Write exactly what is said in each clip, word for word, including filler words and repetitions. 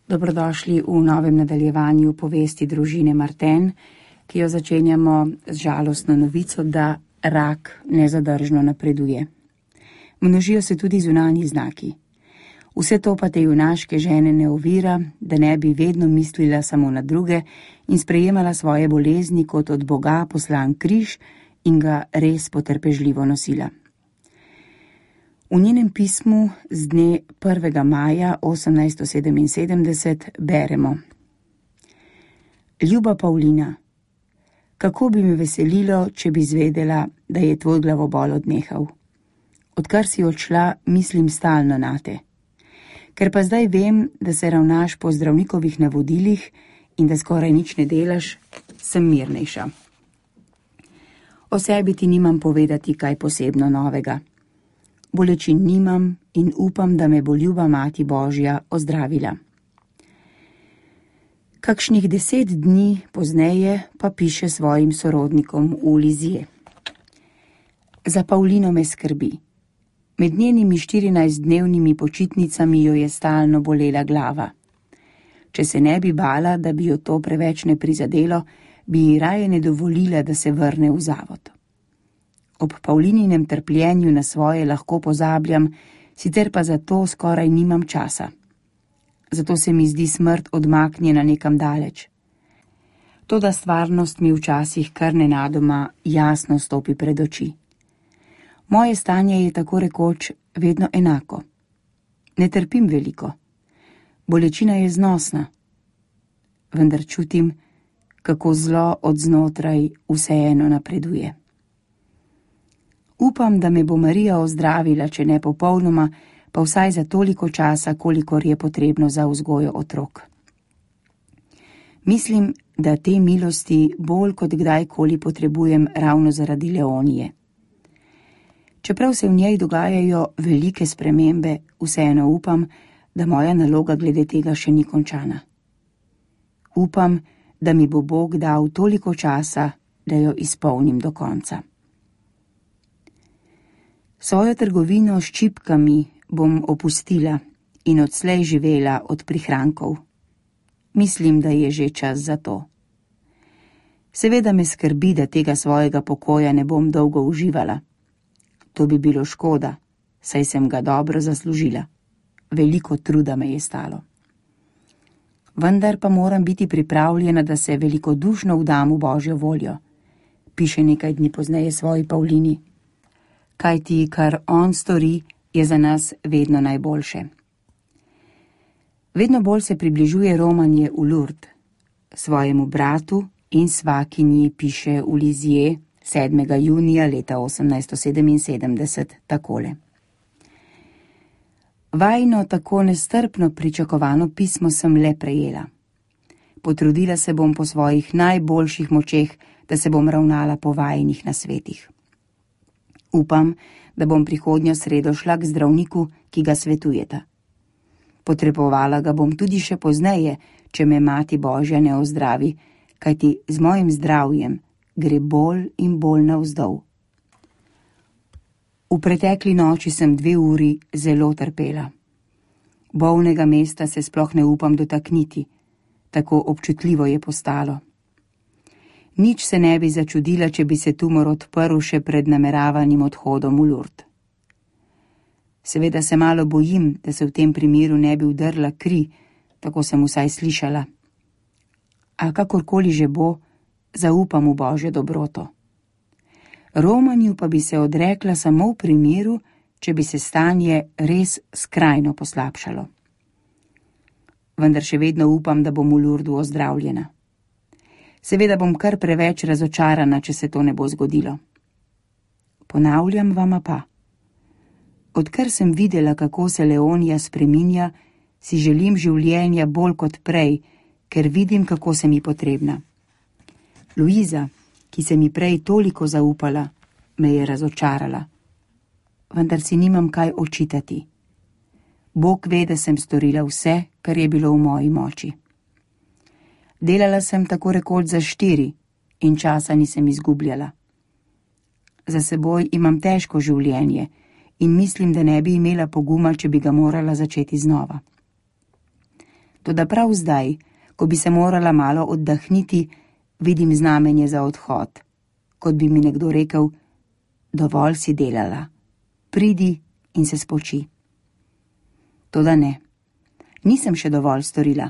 Dobrodošli v novem nadaljevanju povesti družine Martin, ki jo začenjamo z žalostno novico, da rak nezadržno napreduje. Množijo se tudi zunanji znaki. Vse to pa te junaške žene ne ovira, da ne bi vedno mislila samo na druge in sprejemala svoje bolezni kot od Boga poslan križ in ga res potrpežljivo nosila. V njenem pismu z dne prvega maja osemnajststo sedeminsedemdeset beremo: Ljuba Pavlina, kako bi me veselilo, če bi zvedela, da je tvoj glavobol odnehal. Odkar si odšla, mislim stalno nate. Ker pa zdaj vem, da se ravnaš po zdravnikovih navodilih in da skoraj nič ne delaš, sem mirnejša. O sebi ti nimam povedati kaj posebno novega. Bolečin nimam in upam, da me bo ljuba Mati Božja ozdravila. Kakšnih deset dni pozneje pa piše svojim sorodnikom v Lizije. Za Pavlino me skrbi. Med njenimi štirinajstdnevnimi počitnicami jo je stalno bolela glava. Če se ne bi bala, da bi jo to preveč ne prizadelo, bi ji raje ne dovolila, da se vrne v zavod. Ob Pavlininem trpljenju na svoje lahko pozabljam, sicer pa za to skoraj nimam časa. Zato se mi zdi smrt odmaknjena nekam daleč. Toda stvarnost mi včasih kar nenadoma jasno stopi pred oči. Moje stanje je tako rekoč vedno enako. Ne trpim veliko. Bolečina je znosna. Vendar čutim, kako zlo od znotraj vseeno napreduje. Upam, da me bo Marija ozdravila, če ne popolnoma, pa vsaj za toliko časa, kolikor je potrebno za vzgojo otrok. Mislim, da te milosti bolj kot kdajkoli potrebujem ravno zaradi Leonije. Čeprav se v njej dogajajo velike spremembe, vseeno upam, da moja naloga glede tega še ni končana. Upam, da mi bo Bog dal toliko časa, da jo izpolnim do konca. Svojo trgovino s čipkami bom opustila in odslej živela od prihrankov. Mislim, da je že čas za to. Seveda me skrbi, da tega svojega pokoja ne bom dolgo uživala. To bi bilo škoda, saj sem ga dobro zaslužila. Veliko truda me je stalo. Vendar pa moram biti pripravljena, da se velikodušno vdam v Božjo voljo, piše nekaj dni pozneje svoji Pavlini. Kajti, kar on stori, je za nas vedno najboljše. Vedno bolj se približuje romanje v Lourdes. Svojemu bratu in svakinji piše v Lizije sedmega junija leta osemnajststo sedeminsedemdeset takole. Vajino tako nestrpno pričakovano pismo sem le prejela. Potrudila se bom po svojih najboljših močeh, da se bom ravnala po vajinih nasvetih. Upam, da bom prihodnjo sredo šla k zdravniku, ki ga svetujeta. Potrebovala ga bom tudi še pozneje, če me Mati Božja ne ozdravi, kajti z mojim zdravjem gre bolj in bolj navzdol. V pretekli noči sem dve uri zelo trpela. Bolnega mesta se sploh ne upam dotakniti, tako občutljivo je postalo. Nič se ne bi začudila, če bi se tumor odprl še pred nameravanim odhodom v Lourdes. Seveda se malo bojim, da se v tem primeru ne bi vdrla kri, tako sem vsaj slišala. A kakorkoli že bo, zaupam v Božjo dobroto. Romanju pa bi se odrekla samo v primeru, če bi se stanje res skrajno poslabšalo. Vendar še vedno upam, da bom v Lourdesu ozdravljena. Seveda bom kar preveč razočarana, če se to ne bo zgodilo. Ponavljam vama pa. Odkar sem videla, kako se Leonija spreminja, si želim življenja bolj kot prej, ker vidim, kako sem ji potrebna. Luiza, ki se mi prej toliko zaupala, me je razočarala. Vendar si nimam kaj očitati. Bog ve, da sem storila vse, kar je bilo v moji moči. Delala sem tako rekoč za štiri in časa nisem izgubljala. Za seboj imam težko življenje in mislim, da ne bi imela poguma, če bi ga morala začeti znova. Toda prav zdaj, ko bi se morala malo oddahniti, vidim znamenje za odhod, kot bi mi nekdo rekel: dovolj si delala, pridi in se spoči. Toda ne, nisem še dovolj storila,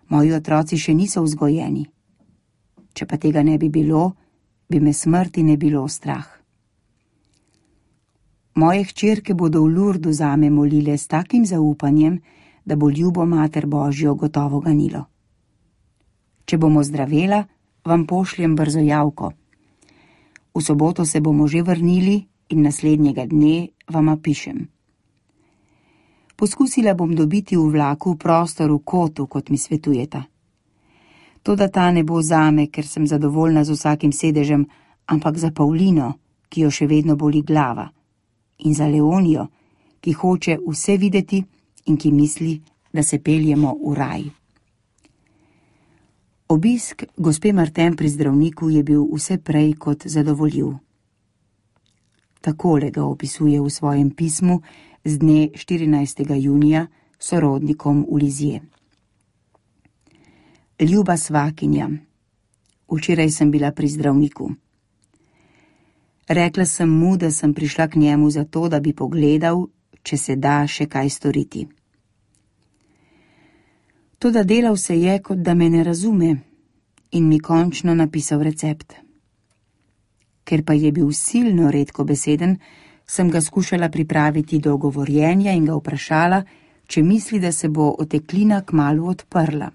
moji otroci še niso vzgojeni. Če pa tega ne bi bilo, bi me smrti ne bilo strah. Moje hčerke bodo v Lurdu zame molile s takim zaupanjem, da bo ljubo Mater Božjo gotovo ganilo. Če bomo zdravela, vam pošljem brzo javko. V soboto se bomo že vrnili in naslednjega dne vama pišem. Poskusila bom dobiti v vlaku prostor v kotu, kot mi svetujeta. Toda ta ne bo zame, ker sem zadovoljna z vsakim sedežem, ampak za Paulino, ki jo še vedno boli glava, in za Leonijo, ki hoče vse videti in ki misli, da se peljemo v raj. Obisk gospe Martin pri zdravniku je bil vse prej kot zadovoljiv. Takole ga opisuje v svojem pismu z dne štirinajstega junija sorodnikom v Lizije. Ljuba svakinja, včeraj sem bila pri zdravniku. Rekla sem mu, da sem prišla k njemu zato, da bi pogledal, če se da še kaj storiti. Toda delal se je, kot da me ne razume, in mi končno napisal recept. Ker pa je bil silno redkobeseden, sem ga skušala pripraviti do govorjenja in ga vprašala, če misli, da se bo oteklina kmalu odprla.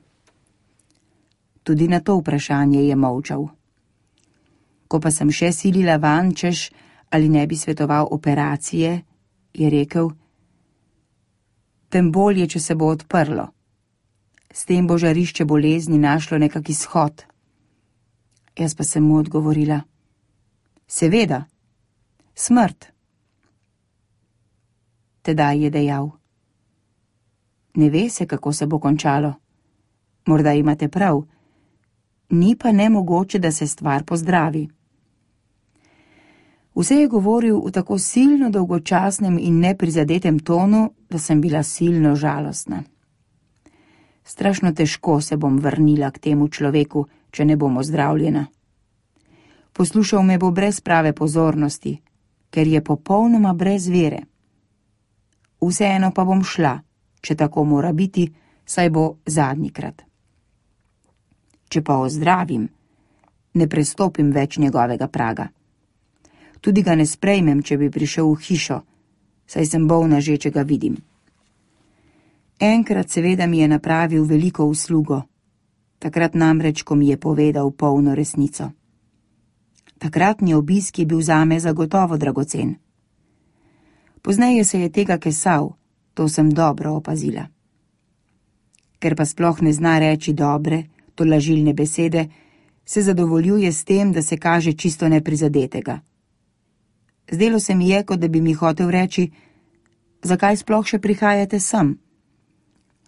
Tudi na to vprašanje je molčal. Ko pa sem še silila van, češ, ali ne bi svetoval operacije, je rekel: tem bolje, če se bo odprlo. S tem bo žarišče bolezni našlo nekak izhod. Jaz pa sem mu odgovorila: seveda, smrt. Tedaj je dejal: ne ve se, kako se bo končalo. Morda imate prav, ni pa nemogoče, da se stvar pozdravi. Vse je govoril v tako silno dolgočasnem in neprizadetem tonu, da sem bila silno žalostna. Strašno težko se bom vrnila k temu človeku, če ne bom ozdravljena. Poslušal me bo brez prave pozornosti, ker je popolnoma brez vere. Vseeno pa bom šla, če tako mora biti, saj bo zadnjikrat. Če pa ozdravim, ne prestopim več njegovega praga. Tudi ga ne sprejmem, če bi prišel v hišo, saj sem bolna že, če ga vidim. Enkrat seveda mi je napravil veliko uslugo, takrat namreč, ko mi je povedal polno resnico. Takratni obisk je bil zame zagotovo dragocen. Pozneje se je tega kesal, to sem dobro opazila. Ker pa sploh ne zna reči dobre, tolažilne besede, se zadovoljuje s tem, da se kaže čisto neprizadetega. Zdelo se mi je, kot da bi mi hotel reči: zakaj sploh še prihajate sem?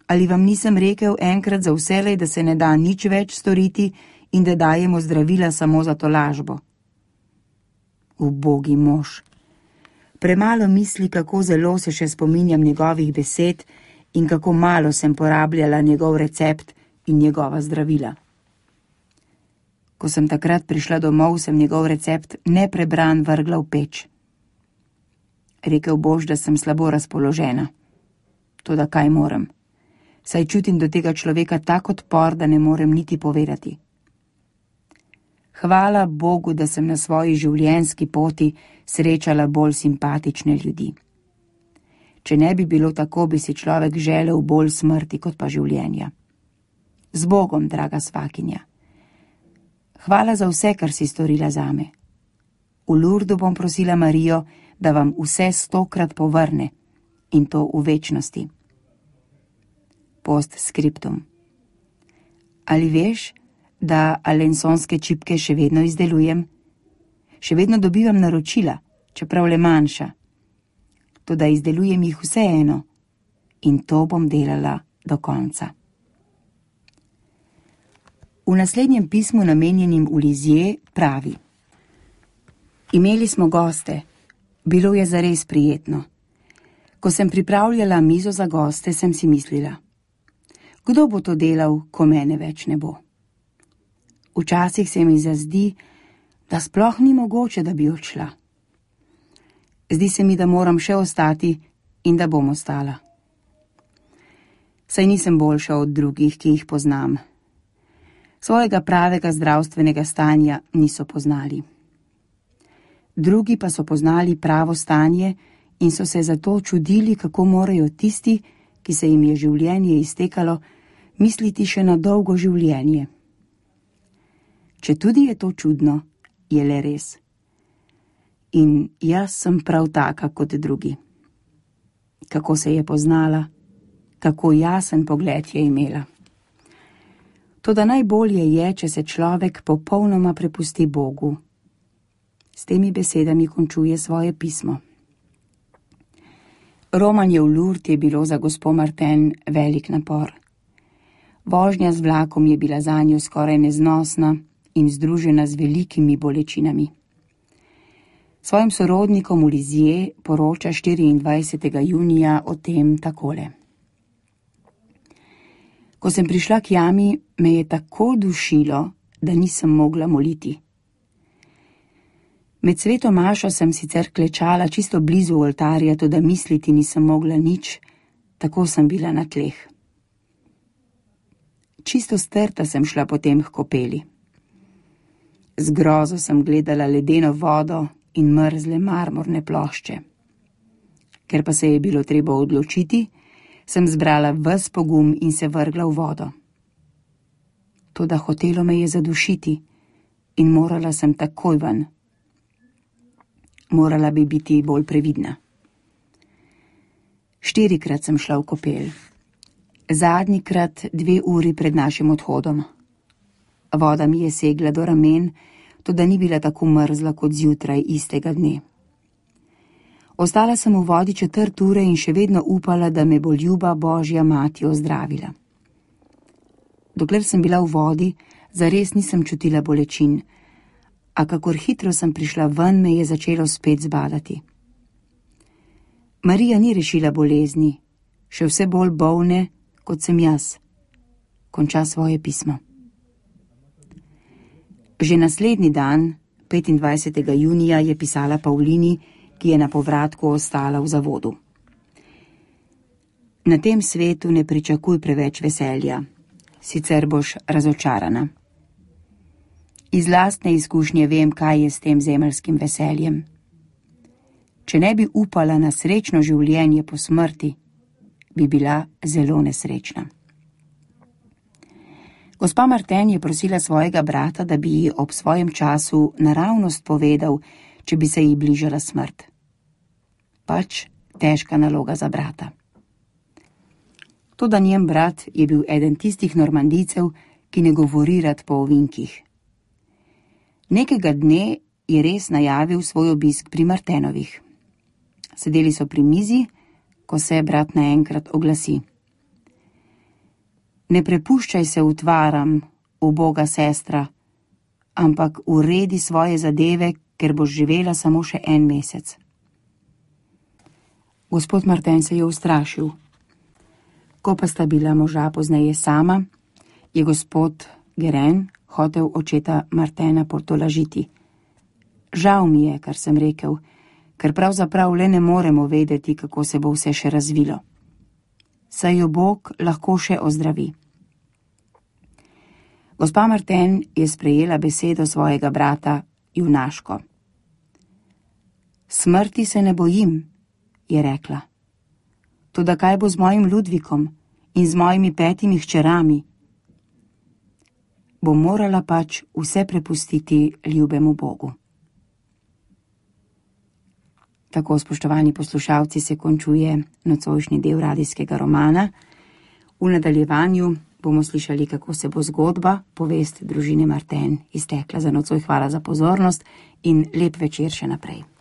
Ali vam nisem rekel enkrat za vselej, da se ne da nič več storiti in da dajemo zdravila samo za tolažbo? Ubogi mož. Premalo misli, kako zelo se še spominjam njegovih besed in kako malo sem porabljala njegov recept in njegova zdravila. Ko sem takrat prišla domov, sem njegov recept neprebran vrgla v peč. Rekel boš, da sem slabo razpoložena. Toda kaj morem? Saj čutim do tega človeka tak odpor, da ne morem niti povedati. Hvala Bogu, da sem na svoji življenjski poti srečala bolj simpatične ljudi. Če ne bi bilo tako, bi si človek želel bolj smrti kot pa življenja. Z Bogom, draga svakinja. Hvala za vse, kar si storila zame. V Lurdu bom prosila Marijo, da vam vse stokrat povrne, in to v večnosti. Post skriptum. Ali veš, da alensonske čipke še vedno izdelujem? Še vedno dobivam naročila, čeprav le manjša. Toda izdelujem jih vseeno in to bom delala do konca. V naslednjem pismu, namenjenim v Lizije, pravi: imeli smo goste, bilo je zares prijetno. Ko sem pripravljala mizo za goste, sem si mislila: Kdo bo to delal, ko mene več ne bo? Včasih se mi zazdi, da sploh ni mogoče, da bi odšla. Zdi se mi, da moram še ostati in da bom ostala. Saj nisem boljša od drugih, ki jih poznam. Svojega pravega zdravstvenega stanja niso poznali. Drugi pa so poznali pravo stanje in so se zato čudili, kako morajo tisti, ki se jim je življenje iztekalo, misliti še na dolgo življenje. Če tudi je to čudno, je le res. In jaz sem prav taka kot drugi. Kako se je poznala, kako jasen pogled je imela. Toda najbolje je, če se človek popolnoma prepusti Bogu. S temi besedami končuje svoje pismo. Romanje v Lourdes je bilo za gospo Martin velik napor. Vožnja z vlakom je bila zanjo skoraj neznosna in združena z velikimi bolečinami. Svojim sorodnikom v Lisieux poroča štiriindvajsetega junija o tem takole. Ko sem prišla k jami, me je tako dušilo, da nisem mogla moliti. Med sveto mašo sem sicer klečala čisto blizu oltarja, toda misliti nisem mogla nič, tako sem bila na tleh. Čisto strta sem šla potem k kopeli. Z grozo sem gledala ledeno vodo in mrzle marmorne plošče. Ker pa se je bilo treba odločiti, sem zbrala ves pogum in se vrgla v vodo. Toda hotelo me je zadušiti in morala sem takoj ven. Morala bi biti bolj previdna. Štirikrat sem šla v kopel. Zadnjikrat dve uri pred našim odhodom. Voda mi je segla do ramen, toda ni bila tako mrzla kot zjutraj istega dne. Ostala sem v vodi četrt ure in še vedno upala, da me bo ljuba Božja mati ozdravila. Dokler sem bila v vodi, zares nisem čutila bolečin, a kakor hitro sem prišla ven, me je začelo spet zbadati. Marija ni rešila bolezni, še vse bolj bolne, kot sem jaz. Konča svoje pismo. Že naslednji dan, petindvajsetega junija, je pisala Pavlini, ki je na povratku ostala v zavodu. Na tem svetu ne pričakuj preveč veselja, sicer boš razočarana. Iz lastne izkušnje vem, kaj je s tem zemeljskim veseljem. Če ne bi upala na srečno življenje po smrti, bi bila zelo nesrečna. Gospa Martin je prosila svojega brata, da bi ji ob svojem času naravnost povedal, če bi se ji bližala smrt. Pač težka naloga za brata. Toda njen brat je bil eden tistih normandijcev, ki ne govori rad po ovinkih. Nekega dne je res najavil svoj obisk pri Martenovih. Sedeli so pri mizi, ko se brat naenkrat oglasi. Ne prepuščaj se utvaram, uboga sestra, ampak uredi svoje zadeve, ker boš živela samo še en mesec. Gospod Martin se je ustrašil. Ko pa sta bila moža pozneje sama, je gospod Guérin hotel očeta Martina potolažiti. Žal mi je, kar sem rekel, ker pravzaprav le ne moremo vedeti, kako se bo vse še razvilo. Saj jo Bog lahko še ozdravi. Gospa Martin je sprejela besedo svojega brata junaško. Smrti se ne bojim, je rekla. Toda kaj bo z mojim Ludvikom in z mojimi petimi hčerami? Bom morala pač vse prepustiti ljubemu Bogu. Tako, spoštovani poslušalci, se končuje nocojšnji del radijskega romana. V nadaljevanju bomo slišali, kako se bo zgodba, povest družine Martin iztekla. Za nocoj hvala za pozornost in lep večer še naprej.